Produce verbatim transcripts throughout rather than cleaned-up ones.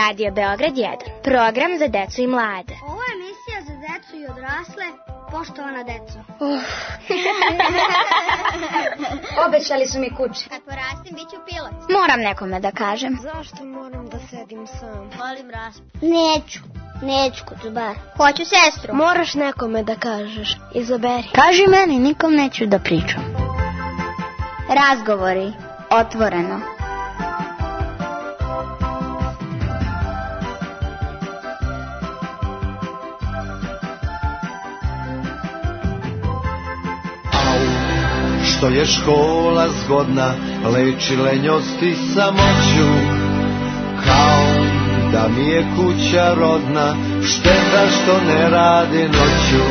Radio Beograd jedan, program za decu i mlade. Ovo je emisija za decu i odrasle, poštovana deco. Uh. Obećali su mi kuće. Kad porastim, bit ću pilot. Moram nekome da kažem. Zašto moram da sedim sam? Volim raspad. Neću, neću kucubar. Hoću sestru. Moraš nekome da kažeš, izaberi. Kaži meni, nikom neću da pričam. Razgovori, otvoreno. Što je škola zgodna, leči lenjost i samoću, kao da mi je kuća rodna, šteta što ne radi noću.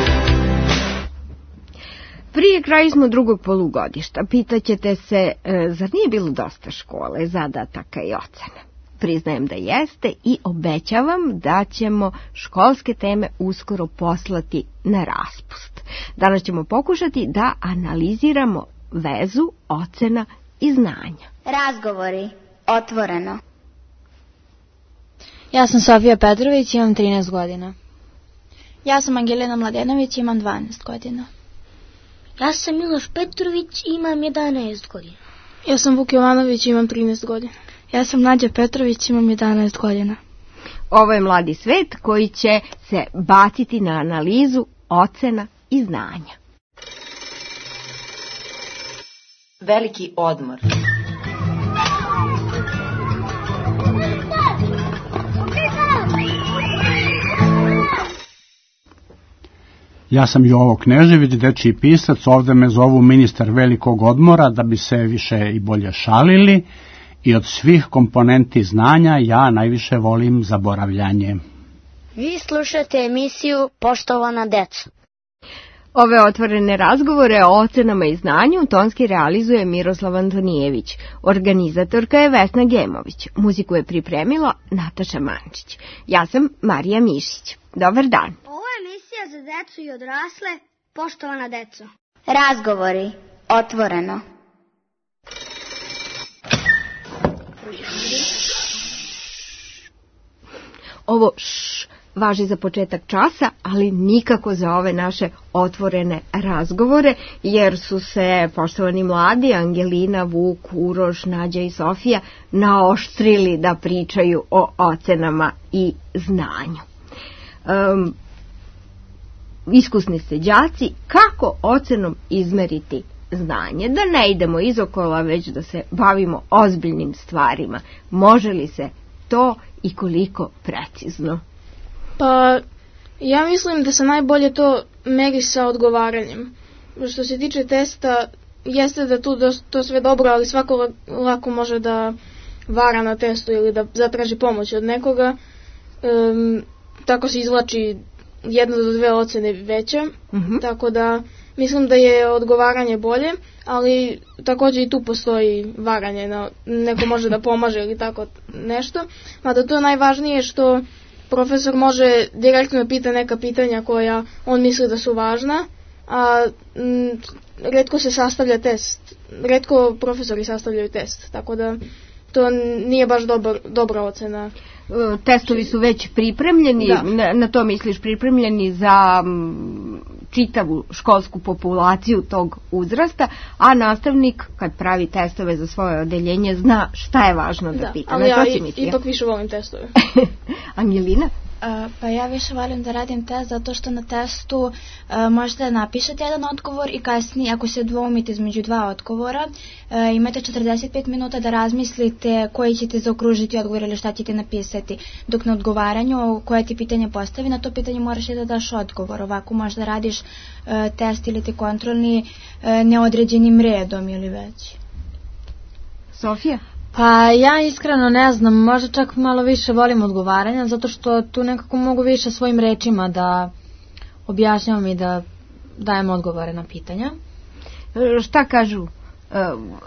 Prije kraju smo drugog polugodišta. Pitaćete se, e, zar nije bilo dosta škole, zadataka i ocena? Priznajem da jeste i obećavam da ćemo školske teme uskoro poslati na raspust. Danas ćemo pokušati da analiziramo vezu ocena i znanja. Razgovori, otvoreno. Ja sam Sofija Petrović, imam trinaest godina. Ja sam Angelina Mladenović, imam dvanaest godina. Ja sam Miloš Petrović, imam jedanaest godina. Ja sam Vuk Jovanović, imam trinaest godina. Ja sam Nađa Petrović, imam jedanaest godina. Ovo je Mladi svet koji će se baciti na analizu ocena i znanja. Veliki odmor. Ja sam Jovo Knežević, dečiji pisac, ovde me zovu ministar velikog odmora da bi se više i bolje šalili i od svih komponenti znanja ja najviše volim zaboravljanje. Vi slušate emisiju Poštovana deca. Ove otvorene razgovore o ocenama i znanju tonski realizuje Miroslav Antonijević. Organizatorka je Vesna Gemović. Muziku je pripremila Nataša Mančić. Ja sam Marija Mišić. Dobar dan. Ovo je emisija za decu i odrasle, poštovana deco. Razgovori, otvoreno. Ovo š važi za početak časa, ali nikako za ove naše otvorene razgovore, jer su se poštovani mladi, Angelina, Vuk, Uroš, Nađa i Sofija, naoštrili da pričaju o ocenama i znanju. Um, iskusni ste đaci, kako ocenom izmeriti znanje? Da ne idemo izokola, već da se bavimo ozbiljnim stvarima. Može li se to i koliko precizno? Pa, ja mislim da se najbolje to meri sa odgovaranjem. Što se tiče testa, jeste da tu to sve dobro, ali svako lako može da vara na testu ili da zatraži pomoć od nekoga. Um, tako se izvlači jedna do dve ocene veće, uh-huh. Tako da mislim da je odgovaranje bolje, ali također i tu postoji varanje, na, neko može da pomaže ili tako nešto. Mada to je najvažnije što profesor može direktno pita neka pitanja koja on misli da su važna, a m, retko se sastavlja test, retko profesori sastavljaju test, tako da to nije baš dobar, dobra ocena. Testovi su već pripremljeni, na, na to misliš pripremljeni za m, čitavu školsku populaciju tog uzrasta, a nastavnik kad pravi testove za svoje odeljenje zna šta je važno da, da pita. Ali ja i, ipak više volim testove. Angelina? Uh, pa ja više volim da radim test zato što na testu uh, možete da napišete jedan odgovor i kasnije ako se dvoumite između dva odgovora uh, imate četrdeset pet minuta da razmislite koji ćete zaokružiti odgovor ili šta ćete napisati, dok na odgovaranju koje ti pitanje postavi, na to pitanje moraš i da daš odgovor. Ovako možda radiš uh, test ili ti kontrolni uh, neodređenim redom ili već. Sofija? Pa ja iskreno ne znam, možda čak malo više volim odgovaranja, zato što tu nekako mogu više svojim rečima da objašnjavam i da dajem odgovore na pitanja. E, šta kažu e,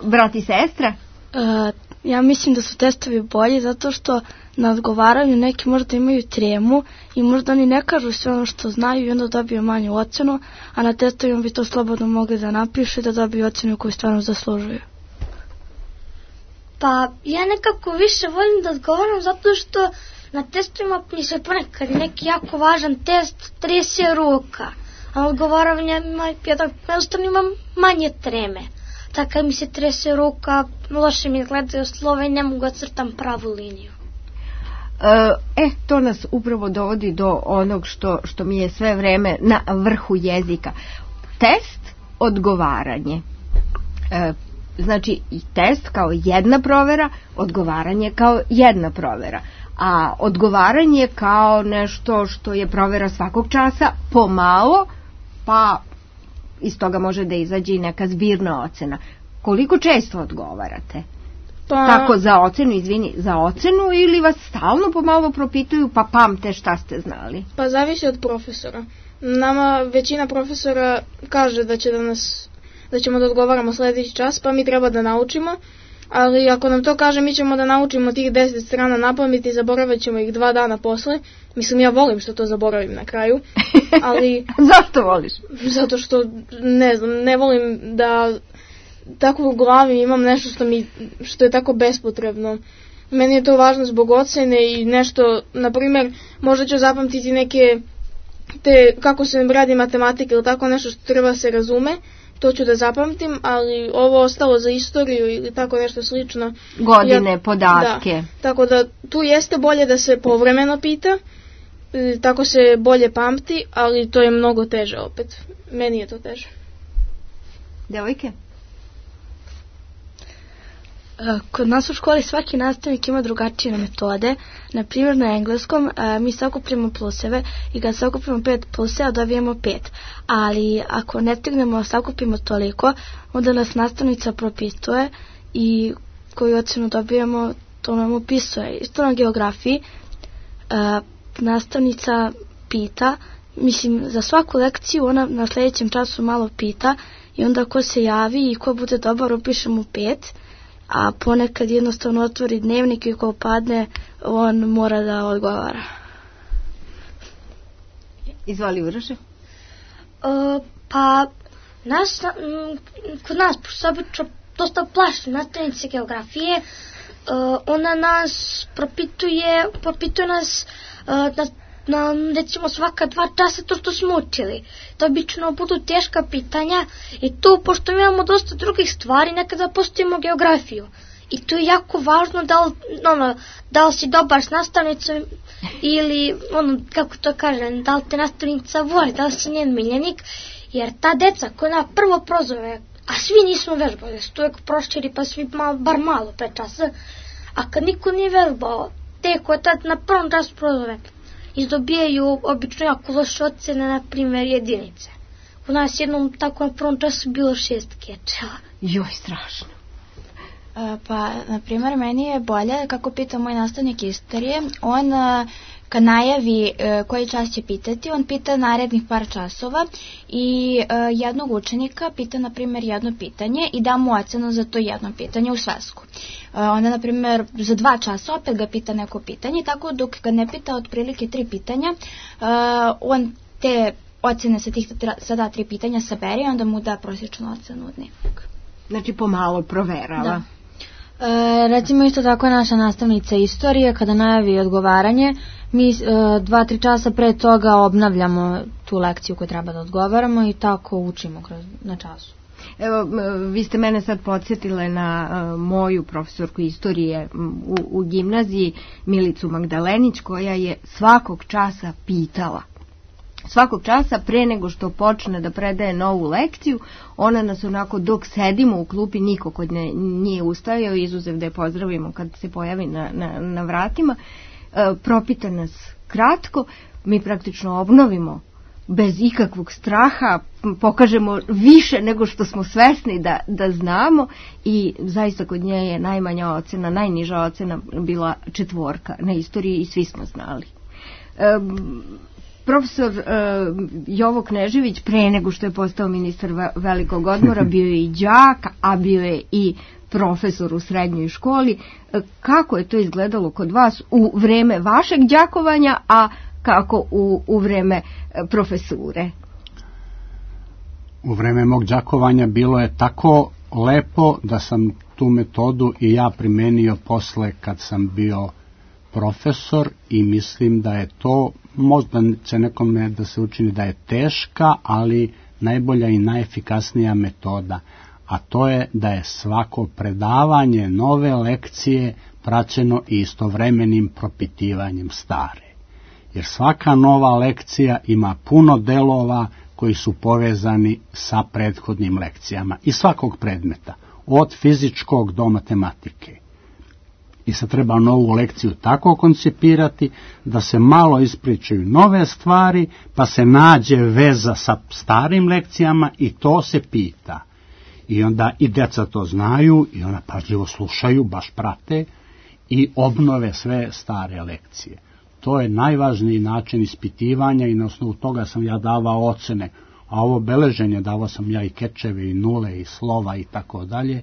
brat i sestra? E, ja mislim da su testovi bolji zato što na odgovaranju neki možda imaju tremu i možda oni ne kažu sve ono što znaju i onda dobiju manju ocenu, a na testovima bi to slobodno mogli da napišu i da dobiju ocenu koju stvarno zaslužuju. Pa ja nekako više volim da odgovaram zato što na testovima mi se ponekad neki jako važan test trese ruka, a odgovaranje jednostavno imam manje treme. Tako kad mi se trese ruka, loše mi gledaju slova i ne mogu da crtam pravu liniju. E, to nas upravo dovodi do onog što, što mi je sve vreme na vrhu jezika. Test, odgovaranje. E, znači, i test kao jedna provera, odgovaranje kao jedna provera. A odgovaranje kao nešto što je provera svakog časa, pomalo, pa iz toga može da izađe i neka zbirna ocena. Koliko često odgovarate? Pa, tako za ocenu, izvini, za ocenu ili vas stalno pomalo propituju pa pamte šta ste znali? Pa zavisi od profesora. Nama većina profesora kaže da će da nas, da ćemo da odgovaramo sledeći čas, pa mi treba da naučimo, ali ako nam to kaže mi ćemo da naučimo tih deset strana napamet i zaboravit ćemo ih dva dana posle. Mislim, ja volim što to zaboravim na kraju, ali... Zašto voliš? Zato što, ne znam, ne volim da tako u glavi imam nešto što, mi, što je tako bespotrebno. Meni je to važno zbog ocene i nešto, na primjer, možda ću zapamtiti neke, te, kako se radi matematika ili tako nešto što treba se razume, to ću da zapamtim, ali ovo ostalo za istoriju ili tako nešto slično. Godine, ja, podatke. Da, tako da tu jeste bolje da se povremeno pita, tako se bolje pamti, ali to je mnogo teže opet. Meni je to teže. Devojke? Kod nas u školi svaki nastavnik ima drugačije metode. Na primjer na engleskom mi sakupljamo pluseve i kad sakupimo pet pluseva dobijemo pet. Ali ako ne stignemo sakupimo toliko, onda nas nastavnica propituje i koju ocenu dobijemo, to nam upisuje. Isto na geografiji nastavnica pita, mislim za svaku lekciju ona na sljedećem času malo pita i onda ko se javi i ko bude dobar upišemo pet. A ponekad jednostavno otvori dnevnik i ko padne, on mora da odgovara. Izvoli, Uroše. Uh, pa, nas, m, kod nas, pošto obično dosta plaši nastavnice geografije, uh, ona nas propituje, propituje nas uh, na na, recimo svaka dva časa to što smo učili. To obično budu teška pitanja i tu, pošto imamo dosta drugih stvari, nekada postavimo geografiju. I to je jako važno da li, ono, da li si dobar s nastavnicom ili, ono, kako to kažem, da li te nastavnica voli, da li si njen miljenik, jer ta deca koja na prvo prozove, a svi nismo vežbali, su uvijek prošćeri pa svi malo, bar malo pre časa, a kad niko nije vežbao, te koje tad na prvom času prozove, izdobijaju obično jako loše ocene, na primjer jedinice. U nas jednom tako na prvom času bilo šest kečeva. Joj, strašno. E, pa, na primjer, meni je bolje, kako pita moj nastavnik istorije, on kad najavi e, koji čas će pitati, on pita narednih par časova i e, jednog učenika pita, na primjer, jedno pitanje i da mu ocenu za to jedno pitanje u svesku. E, onda, na primjer, za dva časa opet ga pita neko pitanje, tako dok ga ne pita otprilike tri pitanja, e, on te ocene sa tih sada tri pitanja sabere i onda mu da prosječnu ocenu u dnevnik. Znači pomalo proverava. Da. E, recimo isto tako je naša nastavnica istorije, kada najavi odgovaranje, mi e, dva, tri časa pre toga obnavljamo tu lekciju koju treba da odgovaramo i tako učimo kroz, na času. Evo, vi ste mene sad podsjetile na uh, moju profesorku istorije u, u gimnaziji, Milicu Magdalenić, koja je svakog časa pitala. Svakog časa pre nego što počne da predaje novu lekciju, ona nas onako dok sedimo u klupi, niko kod nje nije ustajao, izuzev da je pozdravimo kad se pojavi na, na, na vratima, e, propita nas kratko, mi praktično obnovimo bez ikakvog straha, pokažemo više nego što smo svesni da, da znamo i zaista kod nje je najmanja ocena, najniža ocena bila četvorka na istoriji i svi smo znali. E, Profesor uh, Jovo Knežević, pre nego što je postao ministar velikog odmora, bio je i đak, a bio je i profesor u srednjoj školi. Kako je to izgledalo kod vas u vreme vašeg đakovanja, a kako u, u vreme profesure? U vreme mog đakovanja bilo je tako lepo da sam tu metodu i ja primenio posle kad sam bio profesor i mislim da je to, možda će nekome da se učini da je teška, ali najbolja i najefikasnija metoda, a to je da je svako predavanje nove lekcije praćeno i istovremenim propitivanjem stare. Jer svaka nova lekcija ima puno delova koji su povezani sa prethodnim lekcijama i svakog predmeta, od fizičkog do matematike. I sad treba novu lekciju tako koncipirati da se malo ispričaju nove stvari, pa se nađe veza sa starim lekcijama i to se pita. I onda i deca to znaju i ona pažljivo slušaju, baš prate i obnove sve stare lekcije. To je najvažniji način ispitivanja i na osnovu toga sam ja davao ocene, a ovo beleženje davao sam ja i kečeve i nule i slova i tako dalje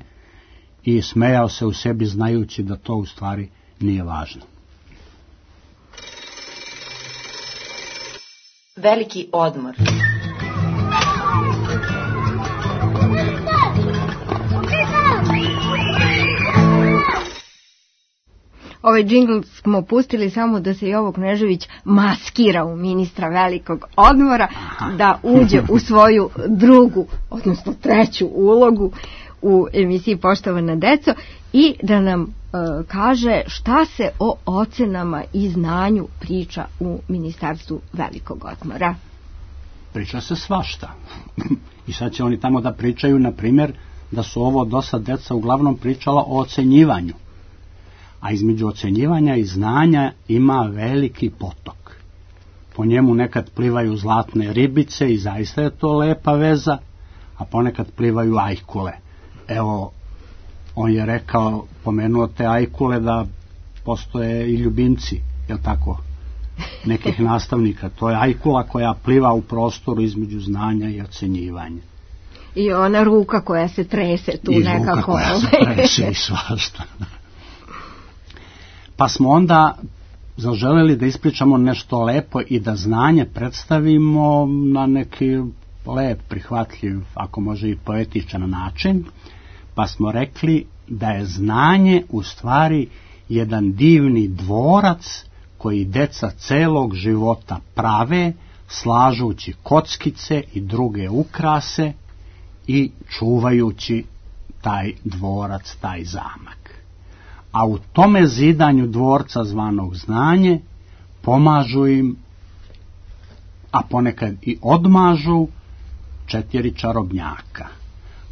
i smejao se u sebi znajući da to u stvari nije važno. Veliki odmor. Ovaj džingl smo pustili samo da se Jovo Knežević maskira u ministra velikog odmora, da uđe u svoju drugu, odnosno treću ulogu u emisiji Poštovana deco i da nam e, kaže šta se o ocenama i znanju priča u ministarstvu velikog odmora. Priča se svašta. I sad će oni tamo da pričaju, na primjer, da su ovo dosta deca uglavnom pričala o ocenjivanju. A između ocenjivanja i znanja ima veliki potok. Po njemu nekad plivaju zlatne ribice i zaista je to lepa veza, a ponekad plivaju ajkule. Evo, on je rekao, pomenuo te ajkule da postoje i ljubimci, jel tako, nekih nastavnika. To je ajkula koja pliva u prostoru između znanja i ocenjivanja. I ona ruka koja se trese tu I nekako. I ruka koja se trese i svašta. Pa smo onda zaželeli da ispričamo nešto lepo i da znanje predstavimo na neki lep, prihvatljiv, ako može i poetičan način, pa smo rekli da je znanje u stvari jedan divni dvorac koji deca celog života prave, slažući kockice i druge ukrase i čuvajući taj dvorac, taj zamak. A u tome zidanju dvorca zvanog znanje pomažu im, a ponekad i odmažu, četiri čarobnjaka.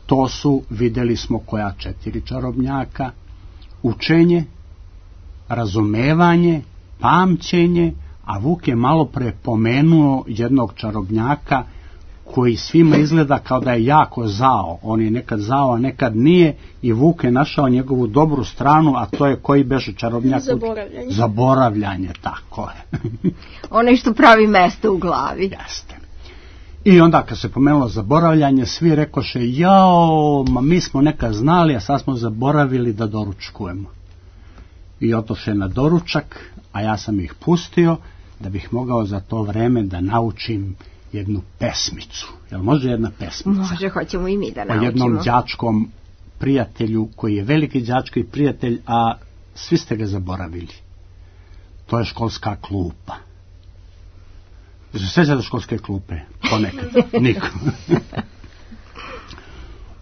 To su, vidjeli smo koja četiri čarobnjaka, učenje, razumevanje, pamćenje, a Vuk je malo pre pomenuo jednog čarobnjaka koji svima izgleda kao da je jako zao. On je nekad zao, a nekad nije, i Vuk je našao njegovu dobru stranu, a to je koji beše čarobnjak? Zaboravljanje. Zaboravljanje, tako je. Onaj što pravi mesto u glavi. Jeste. I onda kad se pomenulo zaboravljanje, svi rekoše, jao, ma mi smo nekad znali, a sad smo zaboravili da doručkujemo. I otoše na doručak, a ja sam ih pustio da bih mogao za to vreme da naučim jednu pesmicu. Jel može jedna pesmica? Može, hoćemo i mi da naučimo. O jednom đačkom prijatelju koji je veliki đački prijatelj, a svi ste ga zaboravili. To je školska klupa. Se sjećate školske klupe? Ponekad. Niko.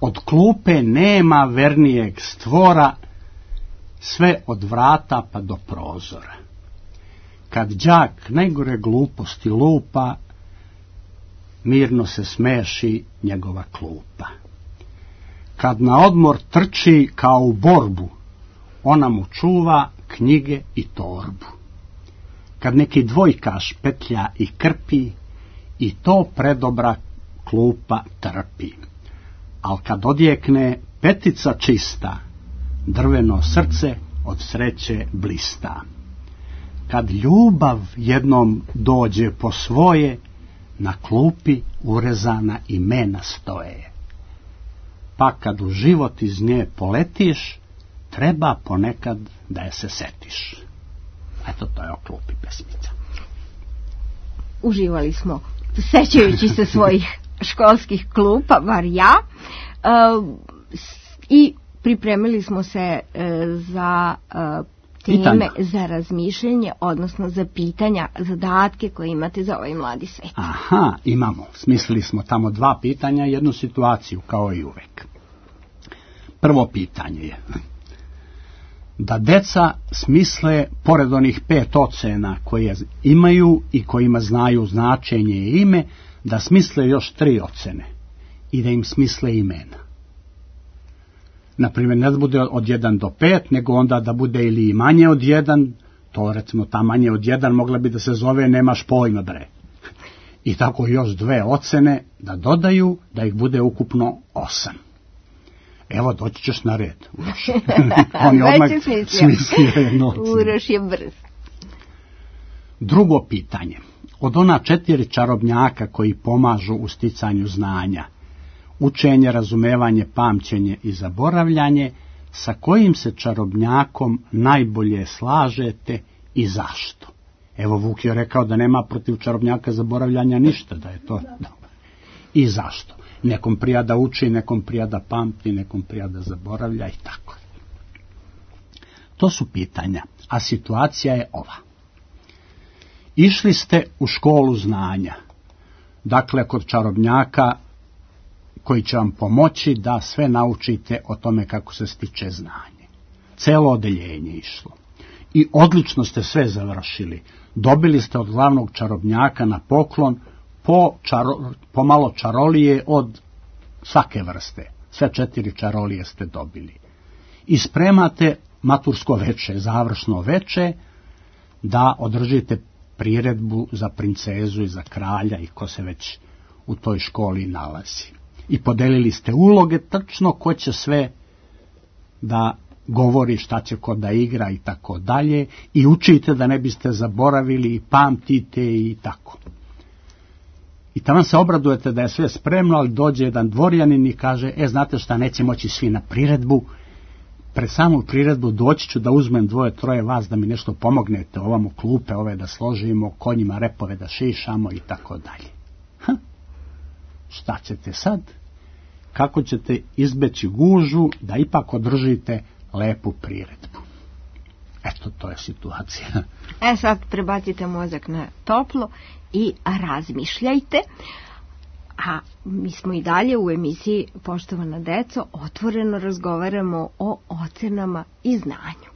Od klupe nema vernijeg stvora, sve od vrata pa do prozora. Kad đak najgore gluposti lupa, mirno se smeši njegova klupa. Kad na odmor trči kao u borbu, ona mu čuva knjige i torbu. Kad neki dvojkaš petlja i krpi, i to predobra klupa trpi. Al kad odjekne petica čista, drveno srce od sreće blista. Kad ljubav jednom dođe po svoje, na klupi urezana imena stoje. Pa kad u život iz nje poletiš, treba ponekad da je se setiš. Eto, to je o klupi pesmica. Uživali smo, sećajući se svojih školskih klupa, bar ja, e, i pripremili smo se e, za e, teme pitanja za razmišljanje, odnosno za pitanja, zadatke koje imate za ovaj mladi svet. Aha, imamo. Smislili smo tamo dva pitanja, jednu situaciju, kao i uvek. Prvo pitanje je da deca smisle, pored onih pet ocena koje imaju i kojima znaju značenje i ime, da smisle još tri ocene i da im smisle imena. Naprimjer, ne da bude od jedan do pet, nego onda da bude ili i manje od jedan, to recimo ta manje od jedan mogla bi da se zove nemaš pojma bre. I tako još dve ocene da dodaju, da ih bude ukupno osam. Evo, doći ćeš na red, Uroš. On je odmah smislio jednu ocenu. Uroš je brz. Drugo pitanje. Od ona četiri čarobnjaka koji pomažu u sticanju znanja, učenje, razumevanje, pamćenje i zaboravljanje, sa kojim se čarobnjakom najbolje slažete i zašto? Evo, Vuk je rekao da nema protiv čarobnjaka zaboravljanja ništa, da je to dobro. I zašto? Nekom prija da uči, nekom prija da pamti, nekom prija da zaboravlja i tako. To su pitanja, a situacija je ova. Išli ste u školu znanja, dakle kod čarobnjaka koji će vam pomoći da sve naučite o tome kako se stiče znanje. Celo odeljenje išlo. I odlično ste sve završili. Dobili ste od glavnog čarobnjaka na poklon po, čaro, po malo čarolije od svake vrste. Sve četiri čarolije ste dobili. I spremate matursko veče, završno veče, da održite priredbu za princezu i za kralja i ko se već u toj školi nalazi. I podelili ste uloge, tačno ko će sve da govori, šta će ko da igra i tako dalje, i učite da ne biste zaboravili i pamtite i tako. I tamo se obradujete da je sve spremno, ali dođe jedan dvorjanin i kaže, e, znate šta, neće moći svi na priredbu, pred samu priredbu doći ću da uzmem dvoje, troje vas da mi nešto pomognete, ovamo klupe ove da složimo, konjima repove da šišamo i tako dalje. Hm. Šta ćete sad? Kako ćete izbeći gužu da ipak održite lepu priredbu? Eto, to je situacija. E sad prebacite mozak na toplo i razmišljajte. A mi smo i dalje u emisiji Poštovana deco, otvoreno razgovaramo o ocenama i znanju.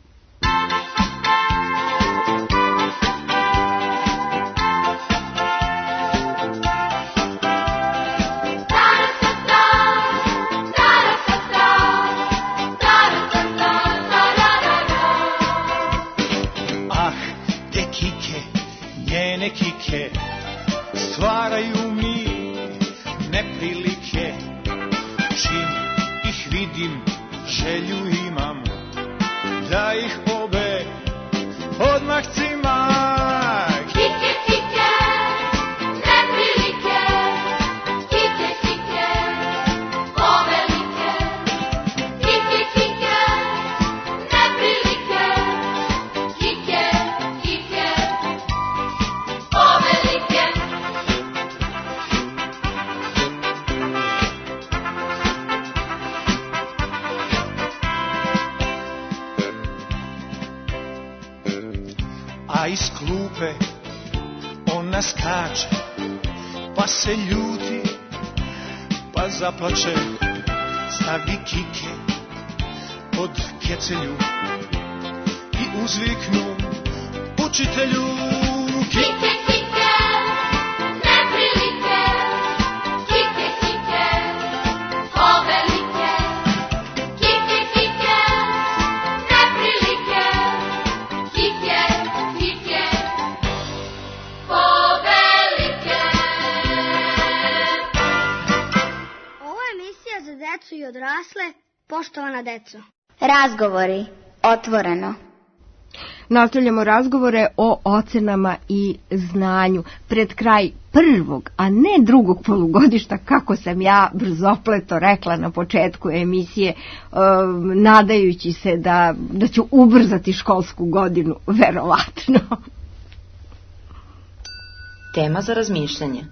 Ah, te kike, njene kike, stvaraju mi neprilike, čim ih vidim, želju imam, da ih obe odmah cimam. Kike, kike, neprilike, kike, kike, povelike, kike, kike, neprilike, kike, kike, povelike. A iz klupe ona skače, pa se ljuti, pa zaplače, stavi kike pod kecelju i uzviknu učitelju. Kike, kike, neprilike, kike, kike, povelike, kike, kike, neprilike, kike, kike, povelike. Ovo je emisija za decu i odrasle, poštovana deco. Razgovori, otvoreno. Nastavljamo razgovore o ocenama i znanju. Pred kraj prvog, a ne drugog polugodišta, kako sam ja brzopleto rekla na početku emisije, uh, nadajući se da, da ću ubrzati školsku godinu, verovatno. Tema za razmišljanje.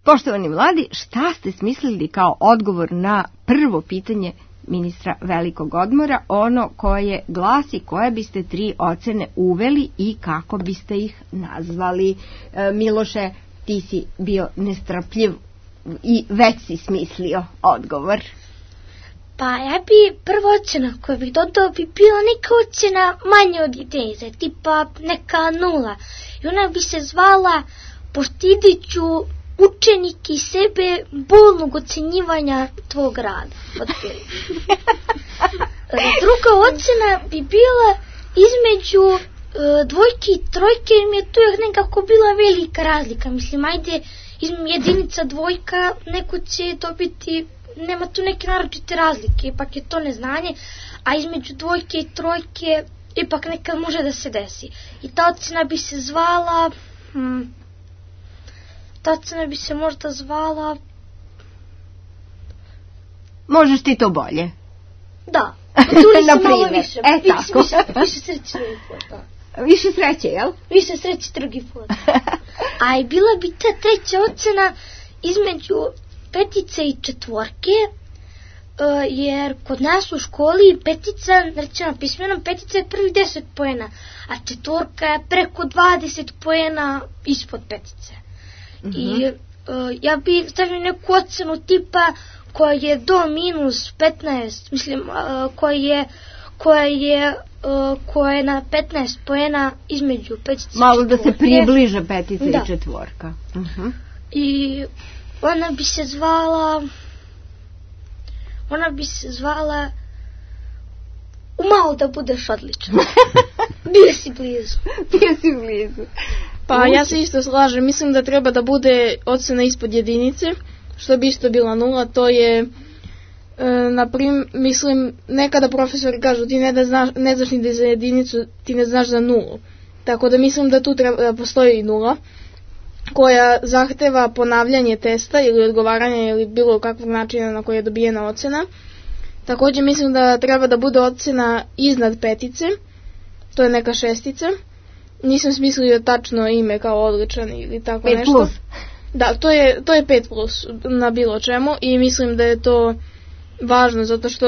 Poštovani mladi, šta ste smislili kao odgovor na prvo pitanje ministra velikog odmora, ono koje glasi koje biste tri ocene uveli i kako biste ih nazvali. E, Miloše, ti si bio nestrpljiv i već si smislio odgovor. Pa ja bi prva ocena koju bih dodao bi bila neka ocena manje od jedinice, tipa neka nula. I ona bi se zvala postidit ću učenike i sebe bolnog ocenjivanja tvog rada. Druga ocena bi bila između e, dvojke i trojke, jer mi je tu nekako bila velika razlika. Mislim, ajde, jedinica dvojka, neko će dobiti, nema tu neke naročite razlike, ipak je to neznanje, a između dvojke i trojke ipak nekad može da se desi. I ta ocena bi se zvala... Hmm, ta ocena bi se možda zvala... Možeš ti to bolje? Da. Tu Na malo primjer, više. e tako. Više, više sreće drugi put, da. Više sreće, jel? Više sreće drugi put. A i bila bi ta treća ocena između petice i četvorke, uh, jer kod nas u školi petica, recimo pismenom, petica je prvih deset poena, a četvorka je preko dvadeset poena ispod petice. Mm-hmm. I uh, ja bih stavio neku ocenu tipa koja je do minus petnaest, mislim, uh, koja je koja je uh, koja je na petnaest poena između petice i malo četvorke. Da se približe petica da. I četvorka. Uh-huh. I ona bi se zvala ona bi se zvala umalo da budeš odličan. Bio si blizu. Bio si blizu. Pa ja se isto slažem, mislim da treba da bude ocena ispod jedinice, što bi isto bila nula, to je e, naprim, mislim, nekada profesori kažu ti ne, da znaš, ne znaš ni da za jedinicu, ti ne znaš za nulu. Tako da mislim da tu treba da postoji nula, koja zahteva ponavljanje testa ili odgovaranje ili bilo kakvog načina na koji je dobijena ocena. Također mislim da treba da bude ocena iznad petice, to je neka šestica. Nisam smislio tačno ime kao odličan ili tako pet nešto. Plus. Da, to je, to je pet plus na bilo čemu i mislim da je to važno zato što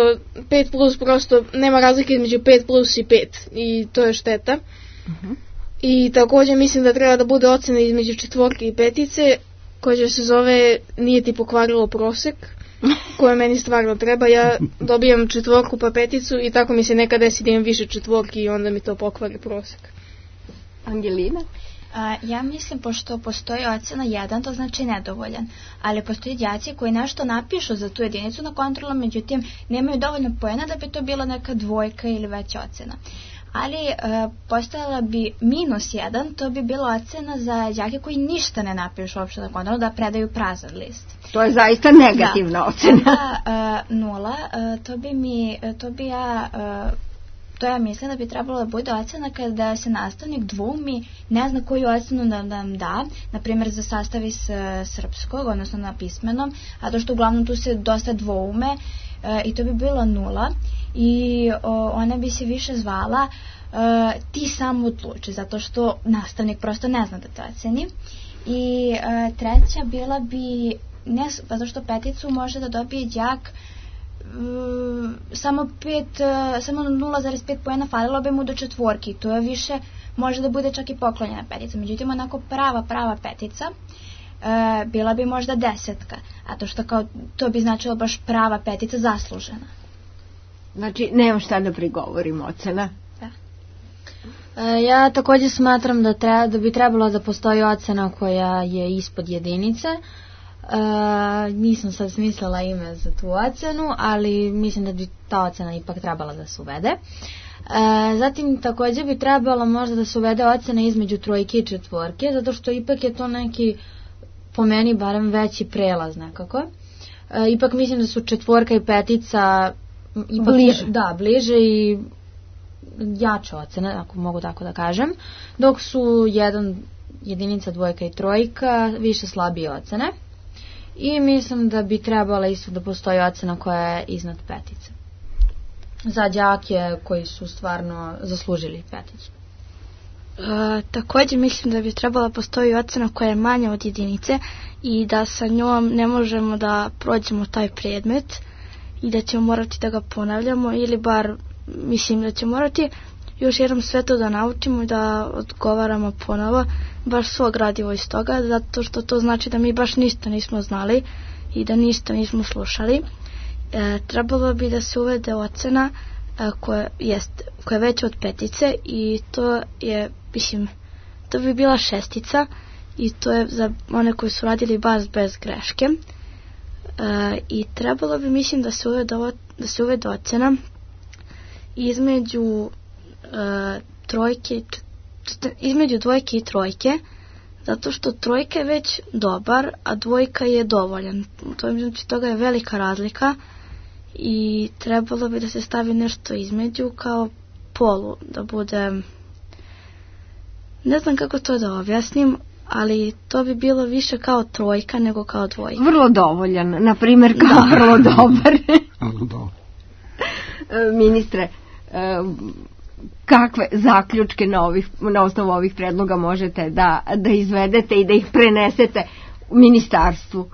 pet plus prosto nema razlike između pet plus i pet i to je šteta. Uh-huh. I također mislim da treba da bude ocena između četvorke i petice koja se zove nije ti pokvarilo prosek, koje meni stvarno treba. Ja dobijam četvorku pa peticu i tako mi se nekad desi da imam više četvorki i onda mi to pokvari prosek. Angelina? A, ja mislim, pošto postoji ocena jedan, to znači nedovoljan, ali postoji đaci koji nešto napišu za tu jedinicu na kontrolu, međutim nemaju dovoljno poena da bi to bila neka dvojka ili veća ocena. Ali e, postojala bi minus jedan, to bi bila ocena za đake koji ništa ne napišu uopšte na kontrolu, da predaju prazan list. To je zaista negativna da. Ocena. Onda e, nula, e, to bi mi, to bi ja... E, To ja mislim da bi trebalo da bude ocena kada se nastavnik dvoumi, ne zna koju ocenu da nam da, na primjer za sastav iz srpskog, odnosno na pismenom, a to što uglavnom tu se dosta dvoume e, i to bi bilo nula i o, ona bi se više zvala e, ti sam odluči, zato što nastavnik prosto ne zna da te oceni. I e, treća bila bi, ne, zato što peticu može da dobije đak Uh, samo pet, uh, samo nula zarez pet poena falilo bi mu do četvorki, to je više, može da bude čak i poklonjena petica, međutim onako prava, prava petica uh, bila bi možda desetka, a to što kao, to bi značilo baš prava petica zaslužena. Znači, nemam šta da prigovorim ocena. Da. Uh, ja također smatram da, treba, da bi trebalo da postoji ocena koja je ispod jedinice. Uh, nisam sad smislila ime za tu ocenu, ali mislim da bi ta ocena ipak trebala da se uvede. Uh, zatim također bi trebalo možda da se uvede ocena između trojke i četvorke, zato što ipak je to neki, po meni barem, veći prelaz nekako. Uh, ipak mislim da su četvorka i petica ipak bliže. Da, bliže i jače ocene, ako mogu tako da kažem, dok su jedan, jedinica, dvojka i trojka više slabije ocene. I mislim da bi trebala isto da postoji ocena koja je iznad petice. Za đake koji su stvarno zaslužili peticu. E, također mislim da bi trebala postoji ocena koja je manja od jedinice i da sa njom ne možemo da prođemo taj predmet i da ćemo morati da ga ponavljamo ili bar mislim da ćemo morati još jednom sve to da naučimo i da odgovaramo ponovo baš svo gradivo iz toga, zato što to znači da mi baš ništa nismo znali i da ništa nismo slušali. E, trebalo bi da se uvede ocena e, koja, jest, koja je veća od petice i to je, mislim, to bi bila šestica i to je za one koji su radili baš bez greške. E, I trebalo bi, mislim, da se uvede, da se uvede ocena između e, trojke, između dvojke i trojke, zato što trojka je već dobar, a dvojka je dovoljan. To je, znači, toga je velika razlika i trebalo bi da se stavi nešto između kao polu, da bude, ne znam kako to da objasnim, ali to bi bilo više kao trojka nego kao dvojka. Vrlo dovoljan, na primjer kao da. Vrlo dobar. Ministre, kakve zaključke na, ovih, na osnovu ovih predloga možete da, da izvedete i da ih prenesete u ministarstvu?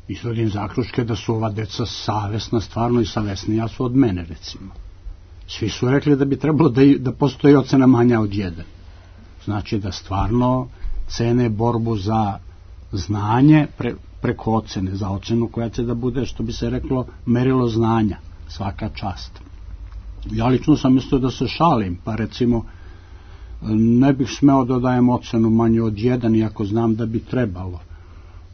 Izvodim zaključke da su ova deca savesna, stvarno i savesnija su od mene, recimo. Svi su rekli da bi trebalo da, da postoji ocena manja od jedan. Znači da stvarno cene borbu za znanje pre, preko ocene, za ocenu koja će da bude, što bi se reklo, merilo znanja, svaka čast. Ja lično sam mislio da se šalim, pa recimo ne bih smeo da dajem ocenu manje od jedan, iako znam da bi trebalo.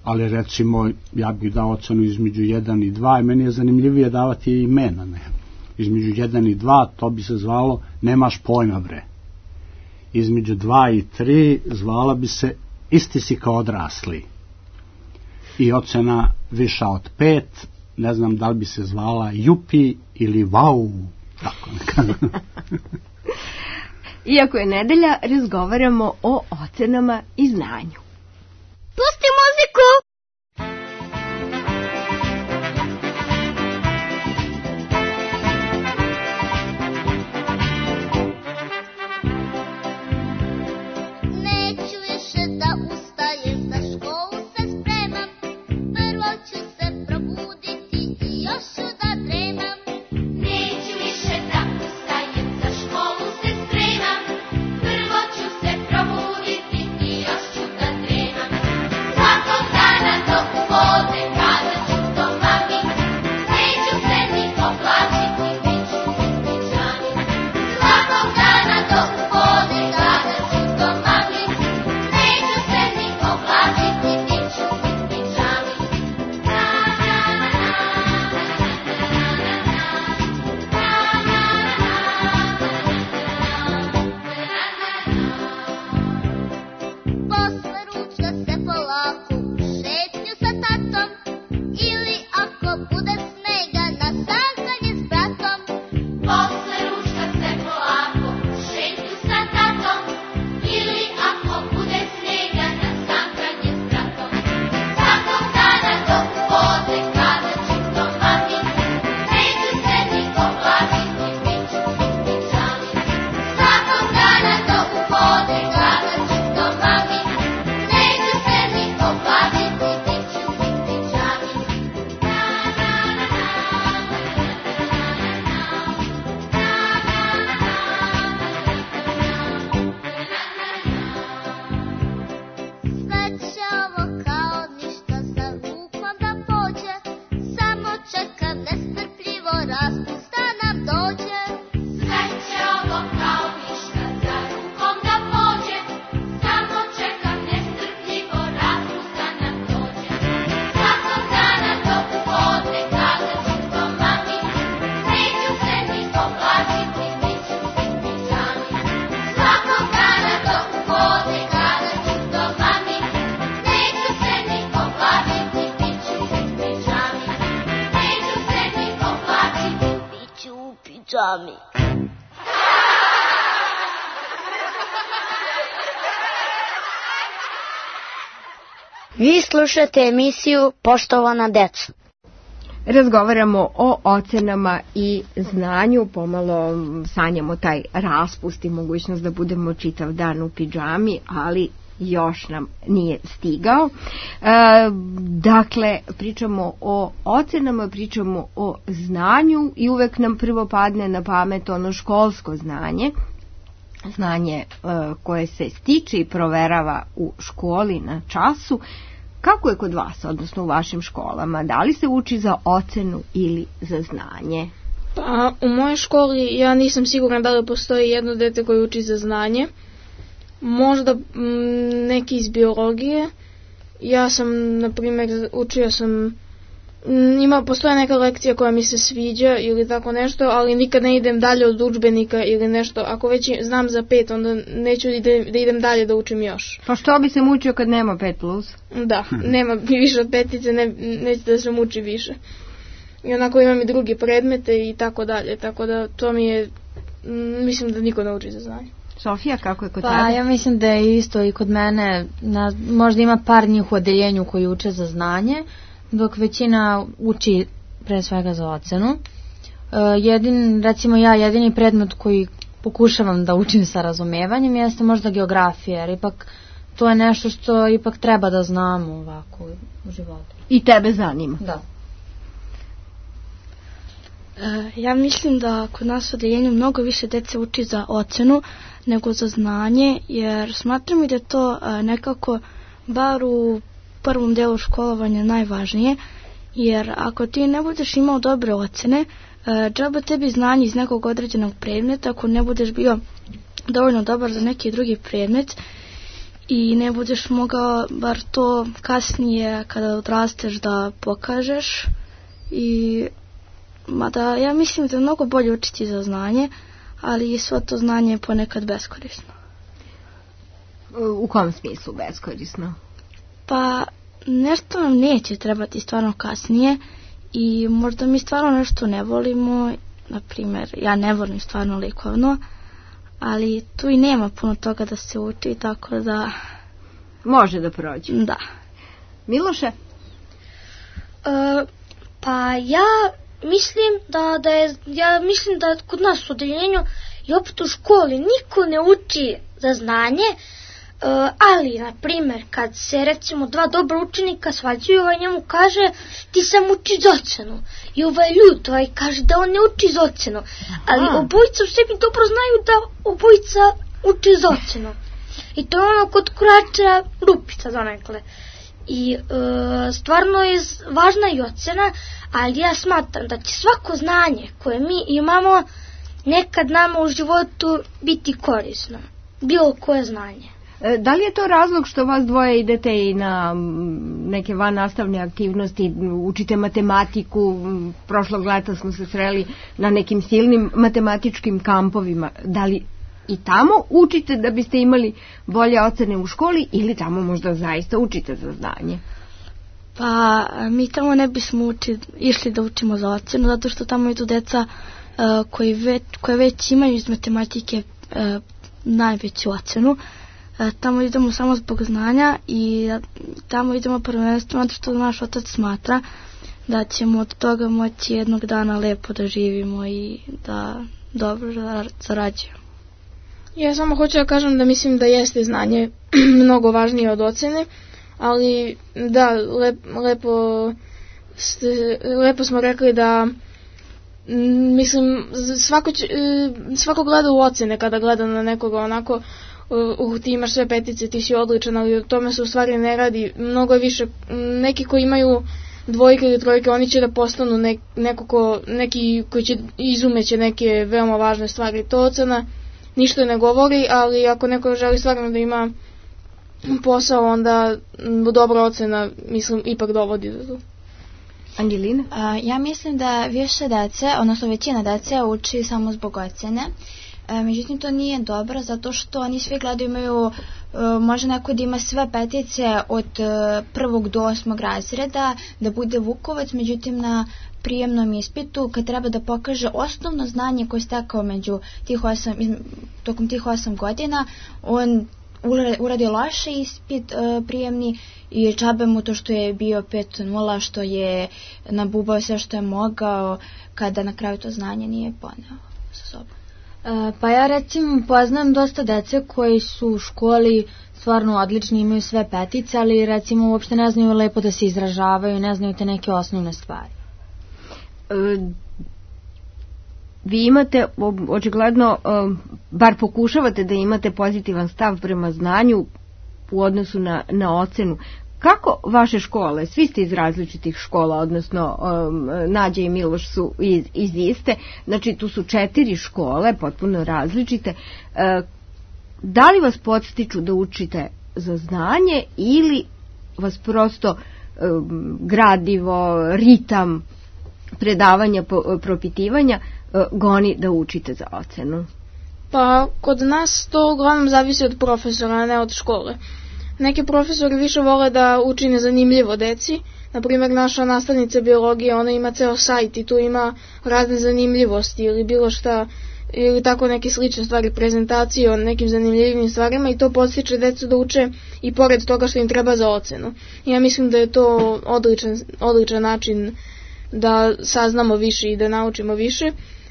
Ali recimo ja bih dao ocenu između jedan i dva i meni je zanimljivije davati imena. Ne? Između jedan i dva to bi se zvalo nemaš pojma bre. Između dva i tri zvala bi se isti si kao odrasli. I ocena viša od pet, ne znam da li bi se zvala jupi ili vau. Tako nekako. Iako je nedelja, razgovaramo o ocenama i znanju. Pusti muziku! Neću više da ustajem, za školu se spremam. Prvo ću se probuditi i još ću da dremam. Neću više da ustajem, za školu se spremam. Prvo ću se probuditi i još ću da dremam. Svakog dana do podne kada ću to mami, neću se ni oblačiti, bit ću u pidžami. Svakog dana do podne kada ću to mami, neću se ni oblačiti, bit ću u pidžami. Posle ručka se polako u šetnju sa tatom, ili ako bude snega na sankanje s bratom. Posle ručka se polako u šetnju sa tatom, ili ako bude snega na sankanje s bratom. Svakog dana do podne kada ću to mami, neću se ni oblačiti, bit ću u pidžami. Svakog dana do podne kada ću to mami, neću se ni oblačiti, bit ću u pidžami. Sve će ovo kao ništa za rukom da pođe, samo čekam nestrpljivo raspust da nam dođe. Sve će ovo kao ništa za rukom da pođe, samo čekam nestrpljivo raspust da nam dođe. Svakog dana do podne kada ću to mami, neću se ni oblačiti, bit ću u pidžami. Svakog dana do podne kada ću to mami, neću se ni oblačiti, bit ću u pidžami. Neću se ni oblačiti, bit ću u pidžami. Vi slušate emisiju Poštovana deca. Razgovaramo o ocenama i znanju, pomalo sanjamo taj raspust i mogućnost da budemo čitav dan u pidžami, ali još nam nije stigao. E, dakle, pričamo o ocenama, pričamo o znanju i uvek nam prvo padne na pamet ono školsko znanje, znanje e, koje se stiče i proverava u školi na času. Kako je kod vas, odnosno u vašim školama? Da li se uči za ocenu ili za znanje? Pa, u mojoj školi ja nisam siguran da li postoji jedno dete koje uči za znanje. Možda m, neki iz biologije. Ja sam, na primjer, učio sam, m, ima, postoje neka lekcija koja mi se sviđa ili tako nešto, ali nikad ne idem dalje od udžbenika ili nešto. Ako već znam za pet, onda neću ide, da idem dalje da učim još. Pa što bi se mučio kad nema pet plus? Da, nema više od petice, ne, neće da se muči više. I onako imam i drugi predmete i tako dalje, tako da to mi je, m, mislim da niko ne uči za znanje. Sofija, kako je kod pa, tebe? Pa ja mislim da je isto i kod mene, na, možda ima par njih u odeljenju koji uče za znanje, dok većina uči pre svega za ocenu. Uh, jedin, recimo ja, jedini predmet koji pokušavam da učim sa razumevanjem jeste možda geografija, jer ipak to je nešto što ipak treba da znamo ovako u životu. I tebe zanima? Da. E, ja mislim da kod nas u odeljenju mnogo više dece uči za ocenu nego za znanje, jer smatram i da to e, nekako bar u prvom delu školovanja najvažnije, jer ako ti ne budeš imao dobre ocene, e, džaba tebi znanje iz nekog određenog predmeta, ako ne budeš bio dovoljno dobar za neki drugi predmet i ne budeš mogao bar to kasnije kada odrasteš da pokažeš. I mada ja mislim da je mnogo bolje učiti za znanje, ali i svo to znanje je ponekad beskorisno. U kom smislu beskorisno? Pa nešto nam neće trebati stvarno kasnije i možda mi stvarno nešto ne volimo, na primjer ja ne volim stvarno likovno, ali tu i nema puno toga da se uči, tako da može da prođe. Da. Miloše? E, pa ja mislim da, da je, ja mislim da kod nas u odeljenju i opet u školi niko ne uči za znanje, uh, ali, na primjer, kad se recimo dva dobra učenika svađaju, ovaj njemu kaže ti sam uči za ocenu. I ovaj ljut, ovaj kaže da on ne uči za ocenu. Ali Aha. obojica u sebi dobro znaju da obojica uči za ocenu. I to je ono kod kurača rupica donekle. I uh, stvarno je važna i ocena, ali ja smatram da će svako znanje koje mi imamo nekad nama u životu biti korisno. Bilo koje znanje. E, da li je to razlog što vas dvoje idete i na neke vannastavne aktivnosti, učite matematiku, prošlog leta smo se sreli na nekim silnim matematičkim kampovima, da li i tamo učite da biste imali bolje ocene u školi ili tamo možda zaista učite za znanje? Pa mi tamo ne bismo uči, išli da učimo za ocenu, zato što tamo idu deca uh, koji već, koje već imaju iz matematike uh, najveću ocenu. Uh, tamo idemo samo zbog znanja i tamo idemo prvenstveno zato što naš otac smatra da ćemo od toga moći jednog dana lepo da živimo i da dobro zarađujemo. Ja samo hoću da kažem da mislim da jeste znanje mnogo važnije od ocene, ali da, lep, lepo, ste, lepo smo rekli da m, mislim svako, će, svako gleda u ocene kada gleda na nekoga onako uh, ti imaš sve petice, ti si odličan, ali o tome se u stvari ne radi. Mnogo više, neki koji imaju dvojke ili trojke, oni će da postanu nek, neko ko, neki koji će izumeće neke veoma važne stvari. To ocena ništa ne govori, ali ako neko želi stvarno da ima posao, onda dobra ocena, mislim, ipak dovodi do tu. Angelina? A, ja mislim da više dece, odnosno većina dece uči samo zbog ocene. E, međutim, to nije dobro, zato što oni svi gledaju, imaju, e, može neko da ima sve petice od e, prvog do osmog razreda, da bude Vukovac, međutim na prijemnom ispitu, kad treba da pokaže osnovno znanje koje je stekao među tih osam, tokom tih osam godina, on uradi loše ispit uh, prijemni i džabe mu to što je bio pet nula, što je nabubao sve što je mogao, kada na kraju to znanje nije poneo sa sobom. Pa ja recimo poznajem dosta dece koji su u školi stvarno odlični, imaju sve petice, ali recimo uopšte ne znaju lepo da se izražavaju, ne znaju te neke osnovne stvari. E, vi imate, očigledno, bar pokušavate da imate pozitivan stav prema znanju u odnosu na, na ocenu. Kako vaše škole, svi ste iz različitih škola, odnosno um, Nađa i Miloš su iz, iz iste, znači tu su četiri škole, potpuno različite, uh, da li vas podstiču da učite za znanje ili vas prosto um, gradivo, ritam predavanja, po, propitivanja uh, goni da učite za ocenu? Pa kod nas to uglavnom zavisi od profesora, a ne od škole. Neki profesori više vole da uči nezanimljivo deci. Naprimjer, naša nastavnica biologije, ona ima ceo sajt i tu ima razne zanimljivosti ili bilo šta, ili tako neke slične stvari, prezentacije o nekim zanimljivim stvarima i to podstiče decu da uče i pored toga što im treba za ocenu. I ja mislim da je to odličan, odličan način da saznamo više i da naučimo više.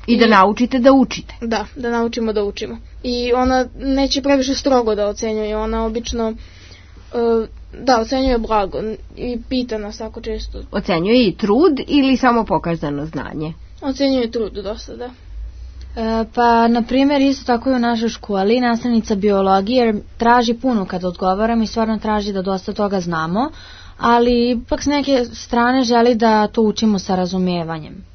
I da I, naučite da učite. Da, da naučimo da učimo. I ona neće previše strogo da ocenjuje, ona obično da, ocenjuje blago i pita nas tako često. Ocenjuje i trud ili samo pokazano znanje? Ocenjuje trud dosta, da. E, pa, na primjer, isto tako i u našoj školi nastavnica biologije traži puno kad odgovaram i stvarno traži da dosta toga znamo, ali ipak s neke strane želi da to učimo sa razumijevanjem.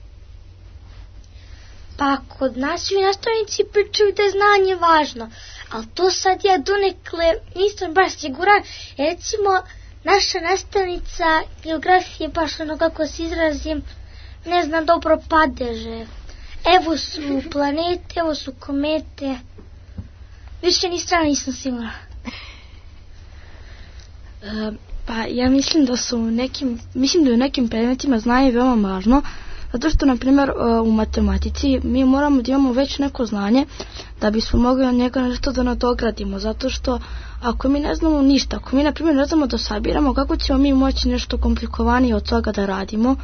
Pa kod nas svi nastavnici pričaju da je znanje važno, ali to sad ja donekle nisam baš siguran. Recimo, naša nastavnica geografije, baš ono kako se izrazim, ne znam dobro padeže. Evo su planete, evo su komete. Više ni strana nisam sigurna. E, pa ja mislim da su u nekim, mislim da u nekim predmetima znanje veoma važno. Zato što, na primjer, u matematici mi moramo da imamo već neko znanje da bismo mogli od njega nešto da nadogradimo. Zato što ako mi ne znamo ništa, ako mi, na primjer, ne znamo da sabiramo, kako ćemo mi moći nešto komplikovanije od toga da radimo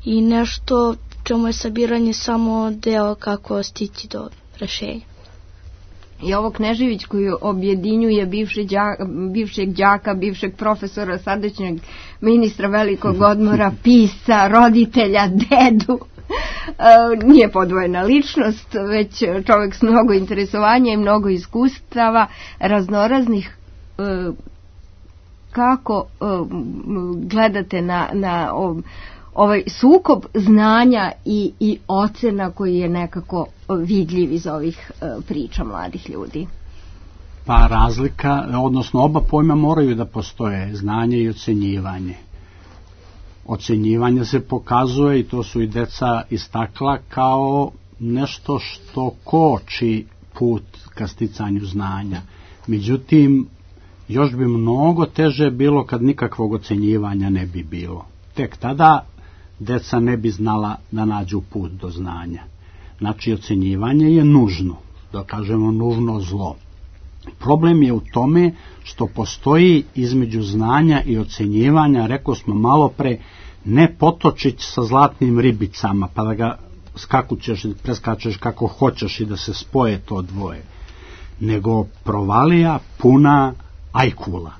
i nešto čemu je sabiranje samo deo kako stići do rešenja. I ovo Knežević koji objedinjuje bivše đaka, bivšeg đaka, bivšeg profesora, sadašnjeg ministra velikog odmora, pisca, roditelja, dedu, nije podvojena ličnost, već čovjek s mnogo interesovanja i mnogo iskustava raznoraznih. Kako gledate na, na ovaj sukob znanja i, i ocena koji je nekako vidljiv iz ovih uh, priča mladih ljudi? Pa razlika, odnosno oba pojma moraju da postoje, znanje i ocenjivanje. Ocenjivanje se pokazuje, i to su i deca istakla, kao nešto što koči put ka sticanju znanja. Međutim, još bi mnogo teže bilo kad nikakvog ocenjivanja ne bi bilo. Tek tada deca ne bi znala da nađu put do znanja. Znači, ocenjivanje je nužno, da kažemo nužno zlo. Problem je u tome što postoji između znanja i ocenjivanja, rekao smo malo pre, ne potočić sa zlatnim ribicama, pa da ga skakućeš i preskačeš kako hoćeš i da se spoje to dvoje, nego provalija puna ajkula.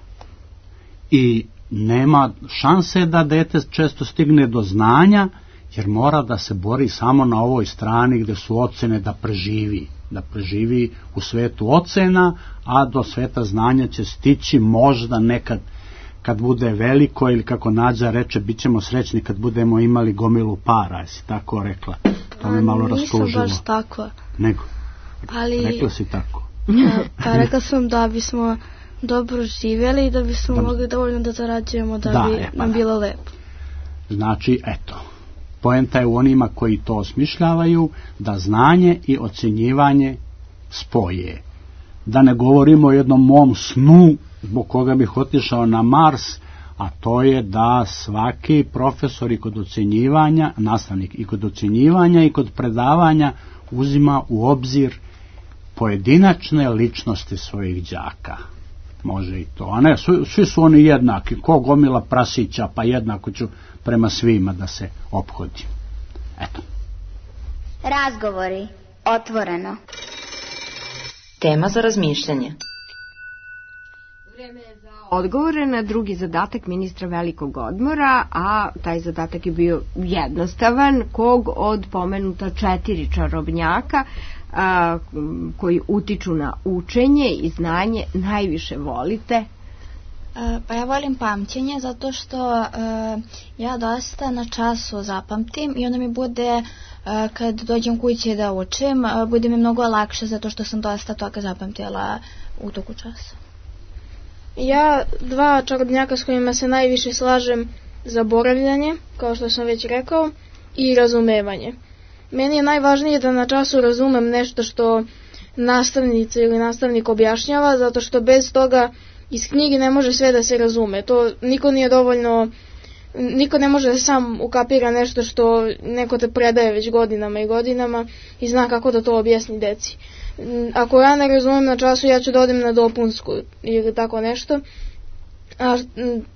I nema šanse da dete često stigne do znanja, jer mora da se bori samo na ovoj strani gde su ocene da preživi, da preživi u svetu ocena, a do sveta znanja će stići možda nekad kad bude veliko, ili kako Nađa reče, bit ćemo srećni kad budemo imali gomilu para, jesi tako rekla? To me malo rastužilo. Nisam baš tako. Nego, ali, rekla si tako. Pa rekla sam da bismo dobro živjeli i da bismo da, mogli dovoljno da zarađujemo da, da bi je, pa, nam bilo lepo. Znači, eto, poenta je u onima koji to osmišljavaju, da znanje i ocenjivanje spoje. Da ne govorimo o jednom mom snu zbog koga bih otišao na Mars, a to je da svaki profesor i kod ocenjivanja, nastavnik i kod ocenjivanja i kod predavanja uzima u obzir pojedinačne ličnosti svojih đaka. Može i to, a ne, svi, svi su oni jednaki, ko gomila prasića, pa jednako ću prema svima da se ophodim. Eto. Razgovori, otvoreno. Tema za razmišljanje. Vreme je za odgovore na drugi zadatak ministra velikog odmora, a taj zadatak je bio jednostavan. Kog od pomenuta četiri čarobnjaka a, koji utiču na učenje i znanje najviše volite? Pa ja volim pamćenje zato što uh, ja dosta na času zapamtim i onda mi bude uh, kad dođem kući da učim, uh, bude mi mnogo lakše zato što sam dosta toga zapamtila u toku časa. Ja dva čarobnjaka s kojima se najviše slažem: zaboravljanje, kao što sam već rekao, i razumevanje. Meni je najvažnije da na času razumem nešto što nastavnica ili nastavnik objašnjava, zato što bez toga iz knjige ne može sve da se razume. To niko nije dovoljno, niko ne može da sam ukapira nešto što neko te predaje već godinama i godinama i zna kako da to objasni deci. Ako ja ne razumem na času, ja ću da odem na dopunsku ili tako nešto. A,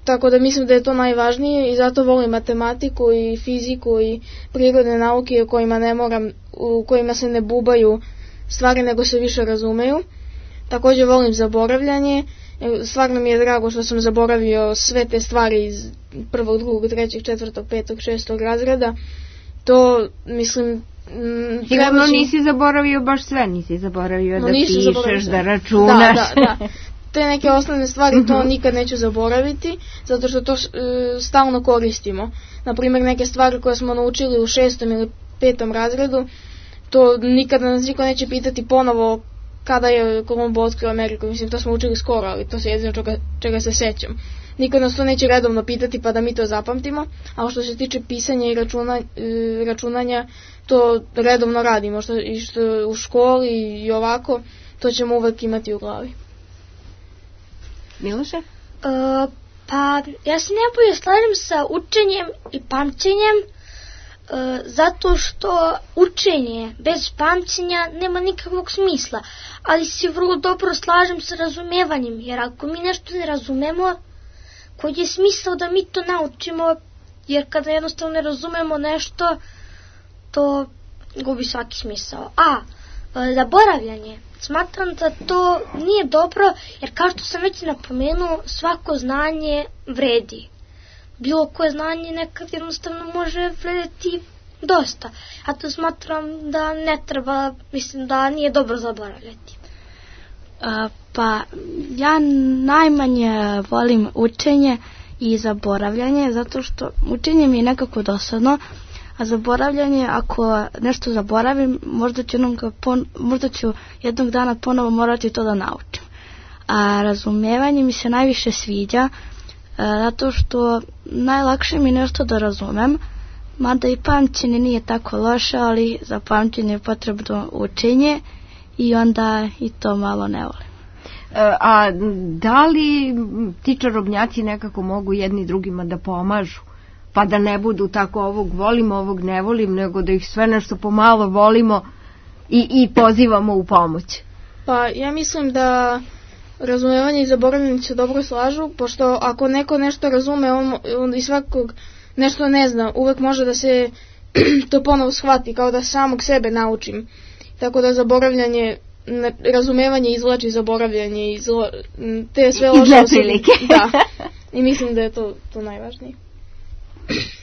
tako da mislim da je to najvažnije i zato volim matematiku i fiziku i prirodne nauke u kojima ne moram, u kojima se ne bubaju stvari nego se više razumeju. Također volim zaboravljanje. Stvarno mi je drago što sam zaboravio sve te stvari iz prvog, drugog, trećeg, četvrtog, petog, šestog razreda. To, mislim... Sigurno nisi zaboravio baš sve, nisi zaboravio no, da pišeš, da računaš. Da, da, da. Te neke osnovne stvari to nikad neću zaboraviti, zato što to uh, stalno koristimo. Naprimjer, neke stvari koje smo naučili u šestom ili petom razredu, to nikada nas niko neće pitati ponovo kada je Kolumbo otkrio Ameriku. Mislim, to smo učili skoro, ali to se jedino čega, čega se sećam. Niko nas to neće redovno pitati pa da mi to zapamtimo, a što se tiče pisanja i računa, računanja, to redovno radimo, što, i što u školi i ovako, to ćemo uvek imati u glavi. Miloše? Uh, pa, ja se najbolje slažem sa učenjem i pamćenjem, uh, zato što učenje bez pamćenja nema nikakvog smisla, ali se vrlo dobro slažem sa razumevanjem, jer ako mi nešto ne razumemo, koji je smisao da mi to naučimo, jer kada jednostavno ne razumemo nešto, to gubi svaki smisao. A, zaboravljanje. Smatram da to nije dobro, jer kao što sam već napomenuo, svako znanje vredi. Bilo koje znanje nekad jednostavno može vrediti dosta. A to smatram da ne treba, mislim da nije dobro zaboravljati. A, pa ja najmanje volim učenje i zaboravljanje, zato što učenje mi je nekako dosadno, a zaboravljanje, ako nešto zaboravim, možda ću jednog, pon, možda ću jednog dana ponovo morati to da naučim. A razumevanje mi se najviše sviđa, a, zato što najlakše mi nešto da razumem, mada i pamćenje nije tako loše, ali za pamćenje je potrebno učenje i onda i to malo ne volim. A da li ti čarobnjaci nekako mogu jedni drugima da pomažu? Pa da ne budu tako ovog volim, ovog ne volim, nego da ih sve nešto pomalo volimo i, i pozivamo u pomoć. Pa ja mislim da razumevanje i zaboravljanje se dobro slažu, pošto ako neko nešto razume, on, on i svakog nešto ne zna, uvek može da se to ponovo shvati, kao da samog sebe naučim. Tako da zaboravljanje, razumevanje izvlači zaboravljanje, izlo, te sve loše prilike. Da, i mislim da je to, to najvažnije.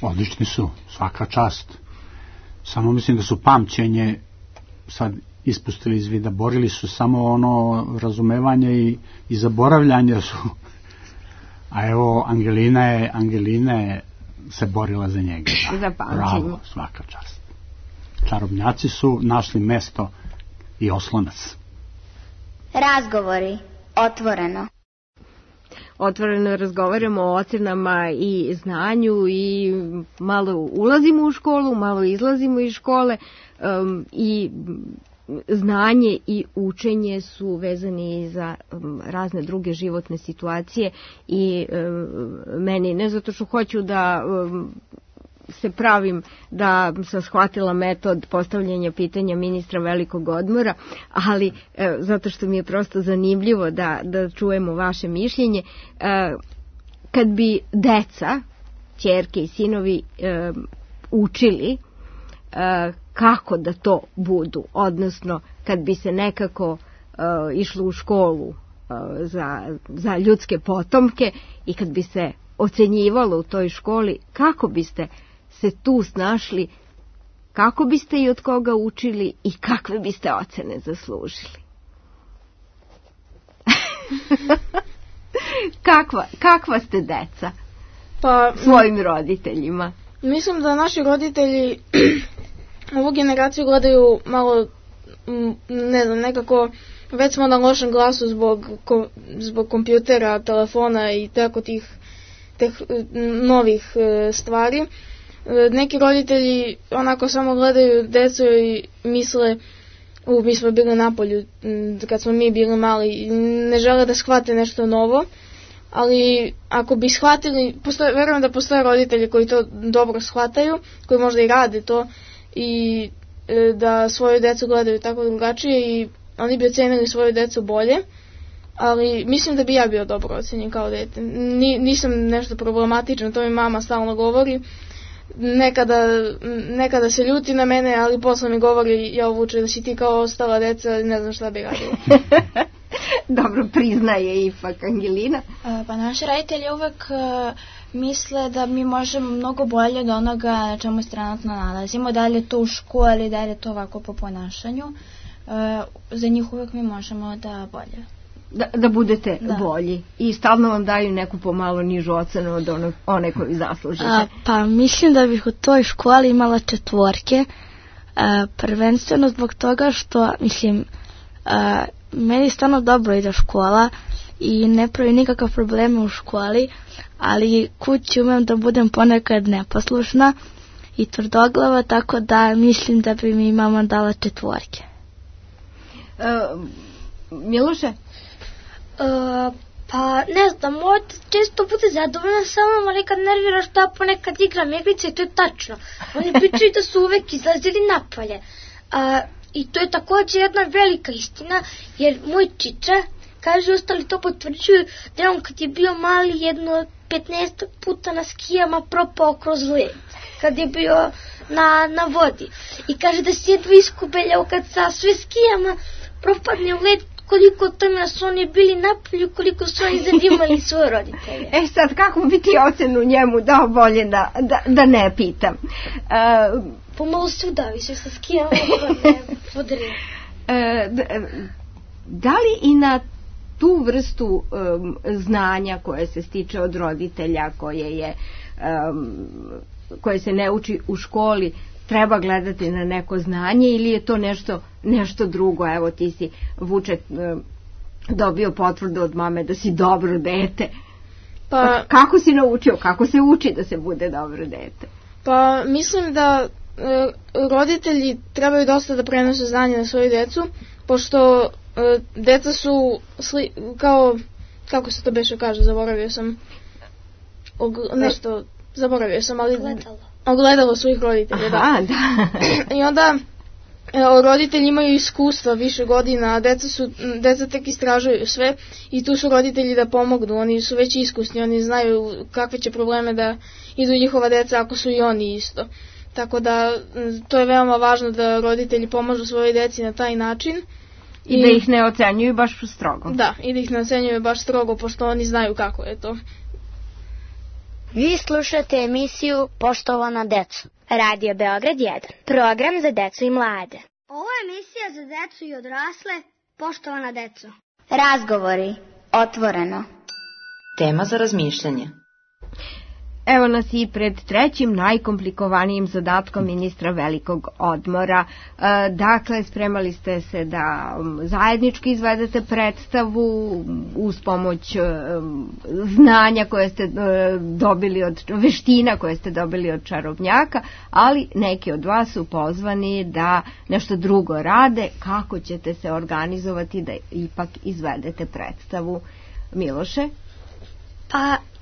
Odlični su, svaka čast. Samo mislim da su pamćenje sad ispustili iz vida, borili su samo ono razumevanje i, i zaboravljanje su. A evo Angelina je, Angelina je se borila za njega. Da. Za pamćenje. Bravo, svaka čast. Čarobnjaci su našli mesto i oslonac. Razgovori, otvoreno. Otvoreno razgovaramo o ocenama i znanju i malo ulazimo u školu, malo izlazimo iz škole um, i znanje i učenje su vezani za um, razne druge životne situacije i um, meni, ne zato što hoću da um, se pravim da sam shvatila metod postavljanja pitanja ministra velikog odmora, ali e, zato što mi je prosto zanimljivo da, da čujemo vaše mišljenje. E, kad bi deca, ćerke i sinovi e, učili e, kako da to budu, odnosno kad bi se nekako e, išlo u školu uh, za, za ljudske potomke i kad bi se ocenjivalo u toj školi, kako biste se tu snašli, kako biste i od koga učili i kakve biste ocene zaslužili? kakva, kakva ste deca pa, svojim roditeljima? Mislim da naši roditelji ovu generaciju gledaju malo, ne znam, nekako već smo na lošem glasu zbog, zbog kompjutera, telefona i tako tih teh, novih stvari. Neki roditelji onako samo gledaju decu i misle, u, mi smo bili na polju kad smo mi bili mali, ne žele da shvate nešto novo, ali ako bi shvatili, postoje, verujem da postoje roditelji koji to dobro shvataju, koji možda i rade to i e, da svoju decu gledaju tako drugačije i oni bi ocenili svoju decu bolje, ali mislim da bi ja bio dobro ocenjen kao dete. Ni, nisam nešto problematično, to mi mama stalno govori. Nekada, nekada se ljuti na mene, ali posle mi govori, ja vuče da si ti kao ostala deca, ne znam šta bi radila. Dobro, priznaje ipak Angelina. Pa naši roditelji uvek uh, misle da mi možemo mnogo bolje od onoga na čemu se trenutno nalazimo, da li je to u školi, da li je to ovako po ponašanju. Uh, za njih uvek mi možemo da bolje. Da, da budete da. bolji i stalno vam daju neku pomalo nižu ocenu od ono, one koju zaslužite. A, pa mislim da bih u toj školi imala četvorke, a, prvenstveno zbog toga što, mislim, a, meni stvarno dobro ide škola i ne pravi nikakav probleme u školi, ali kući umem da budem ponekad neposlušna i tvrdoglava, tako da mislim da bi mi mama dala četvorke. A, Miloše? Uh, pa ne znam, moj često bude zadovoljna sa mnom, ali kad nervira što ja ponekad igram igrice i to je tačno. Oni pričaju da su uvek izlazili napolje. Uh, I to je također jedna velika istina, jer moj čiča, kaže, ostali to potvrđuju, da je on kad je bio mali jedno petnaest puta na skijama propao kroz led, kad je bio na, na vodi. I kaže da se jedva iskubeljao kad sa sve skijama propadne u led, koliko tome su oni bili napolju, koliko su oni zadimali svoje roditelje. E sad, kako bi ti ocenu njemu dao, bolje da, da, da ne pitam. Uh, Pomalo se udavi se sa skijama, ne podrije. Uh, da li i na tu vrstu um, znanja koje se stiče od roditelja, koje, je, um, koje se ne uči u školi, treba gledati na neko znanje ili je to nešto, nešto drugo? Evo ti si, Vuče, dobio potvrdu od mame da si dobro dete. Pa, kako si naučio, kako se uči da se bude dobro dete? Pa mislim da e, roditelji trebaju dosta da prenose znanje na svoju decu, pošto e, deca su sli, kao, kako se to beše kaže, zaboravio sam og, nešto, zaboravio sam, ali Gledalo. ogledalo svojih roditelja. Aha, da. da. I onda e, roditelji imaju iskustva više godina, a deca, su, deca tek istražuju sve i tu su roditelji da pomognu, oni su već iskusni, oni znaju kakve će probleme da idu njihova deca ako su i oni isto. Tako da to je veoma važno da roditelji pomažu svojoj deci na taj način. I, I da ih ne ocenjuju baš strogo. Da, i da ih ne ocenjuju baš strogo, pošto oni znaju kako je to. Vi slušate emisiju Poštovana deco. Radio Beograd jedan. Program za decu i mlade. Ovo je emisija za decu i odrasle. Poštovana deco. Razgovori. Otvoreno. Tema za razmišljanje. Evo nas i pred trećim najkomplikovanijim zadatkom ministra velikog odmora. E, dakle, spremali ste se da zajednički izvedete predstavu uz pomoć e, znanja koje ste e, dobili od veština koje ste dobili od čarobnjaka, ali neki od vas su pozvani da nešto drugo rade. Kako ćete se organizovati da ipak izvedete predstavu? Miloše? Pa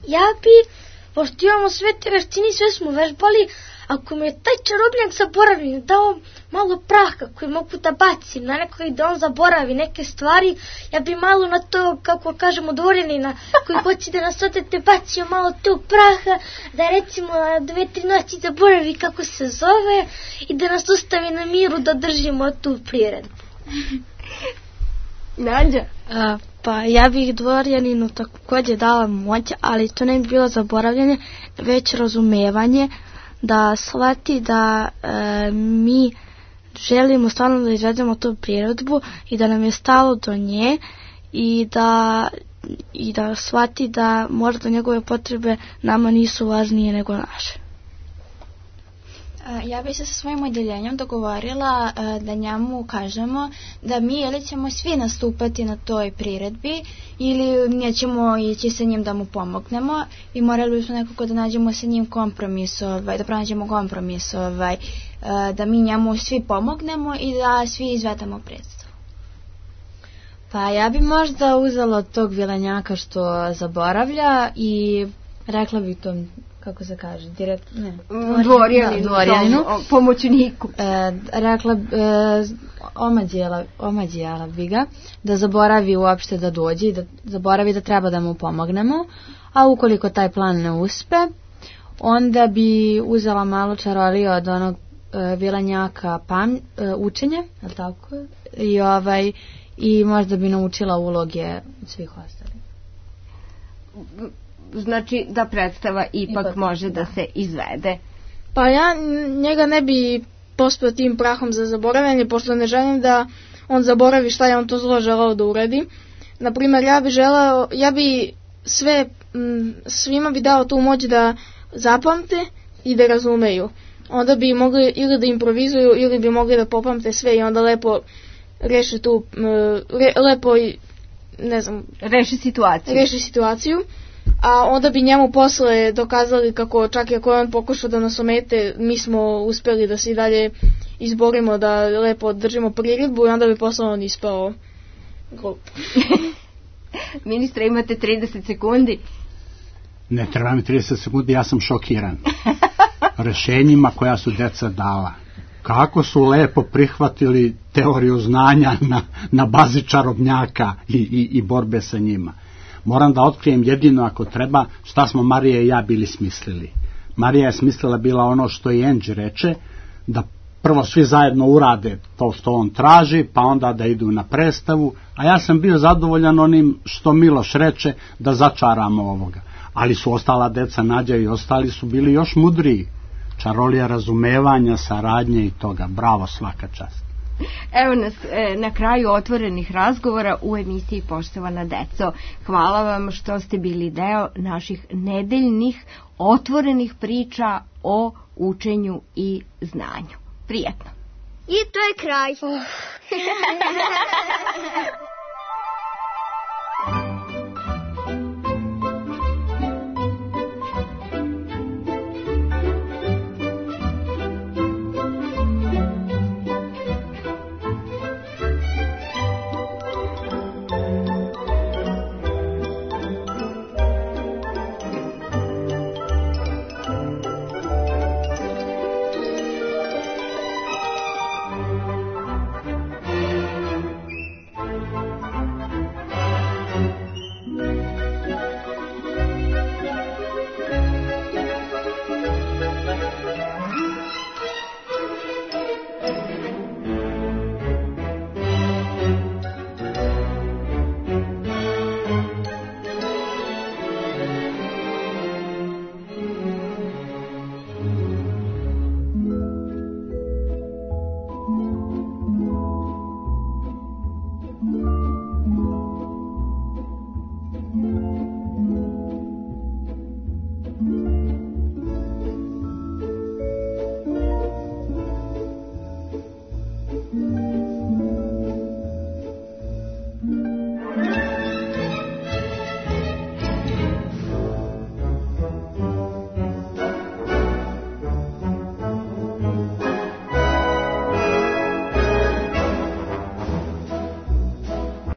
ja bi, pošto imamo sve te veštine, sve smo vežbali, ako mi je taj čarobnjak zaboravio, dao malo praha koji mogu da bacim na nekoga i da on zaboravi neke stvari, ja bi malo na to, kako kažemo, dvorenina koji hoće da nas otete bacio malo tog praha, da recimo na dve, tri noći zaboravi kako se zove i da nas ostavi na miru da držimo tu priredbu. Nađa? A, pa ja bih dvorjaninu također dala moć, ali to ne bi bilo zaboravljanje, već razumevanje, da shvati da e, mi želimo stvarno da izvedemo tu priredbu i da nam je stalo do nje i da, i da shvati da možda njegove potrebe nama nisu važnije nego naše. Ja bih se sa svojim odjeljenjem dogovorila da njemu kažemo da mi ili ćemo svi nastupati na toj priredbi ili nećemo ići sa njim da mu pomognemo i morali bismo nekako da nađemo sa njim kompromis, ovaj, da pronađemo kompromis, ovaj, da mi njemu svi pomognemo i da svi izvedemo predstavu. Pa ja bi možda uzela od tog vilenjaka što zaboravlja i rekla bi tom, kako se kaže, direkt, ne, dvorjaninu, dvorjaninu, pomoćniku. E, rekla, e, omađijela, omađijela bi ga, da zaboravi uopšte da dođe i da zaboravi da treba da mu pomognemo, a ukoliko taj plan ne uspe, onda bi uzela malo čarolije od onog e, vilenjaka pam, e, učenje, je li tako? I, ovaj, i možda bi naučila uloge od svih ostalih. Znači da predstava ipak, ipak može da, da se izvede. Pa ja njega ne bi pospeo tim prahom za zaboravljanje, pošto ne želim da on zaboravi šta je on to zlo želeo da uradi. Naprimer, ja bi želeo, ja bi sve, m, svima bi dao tu moć da zapamte i da razumeju. Onda bi mogli ili da improvizuju ili bi mogli da popamte sve i onda lepo reši tu, m, re, lepo i, ne znam, reši situaciju. Reši situaciju. A onda bi njemu posle dokazali kako čak i ako je on pokušao da nas omete, mi smo uspjeli da se i dalje izborimo, da lepo držimo priredbu i onda bi posle on ispao glup. Ministre, imate trideset sekundi. Ne treba mi trideset sekundi, ja sam šokiran rešenjima koja su deca dala. Kako su lepo prihvatili teoriju znanja na, na bazi čarobnjaka i, i, i borbe sa njima. Moram da otkrijem jedino ako treba šta smo Marija i ja bili smislili. Marija je smislila bila ono što i Angie reče, da prvo svi zajedno urade to što on traži, pa onda da idu na predstavu, a ja sam bio zadovoljan onim što Miloš reče, da začaramo ovoga. Ali su ostala deca, Nađa i ostali su bili još mudriji. Čarolija razumevanja, saradnje i toga. Bravo, svaka čast. Evo nas e, na kraju otvorenih razgovora u emisiji Poštovana deco. Hvala vam što ste bili deo naših nedeljnih otvorenih priča o učenju i znanju. Prijetno. I to je kraj.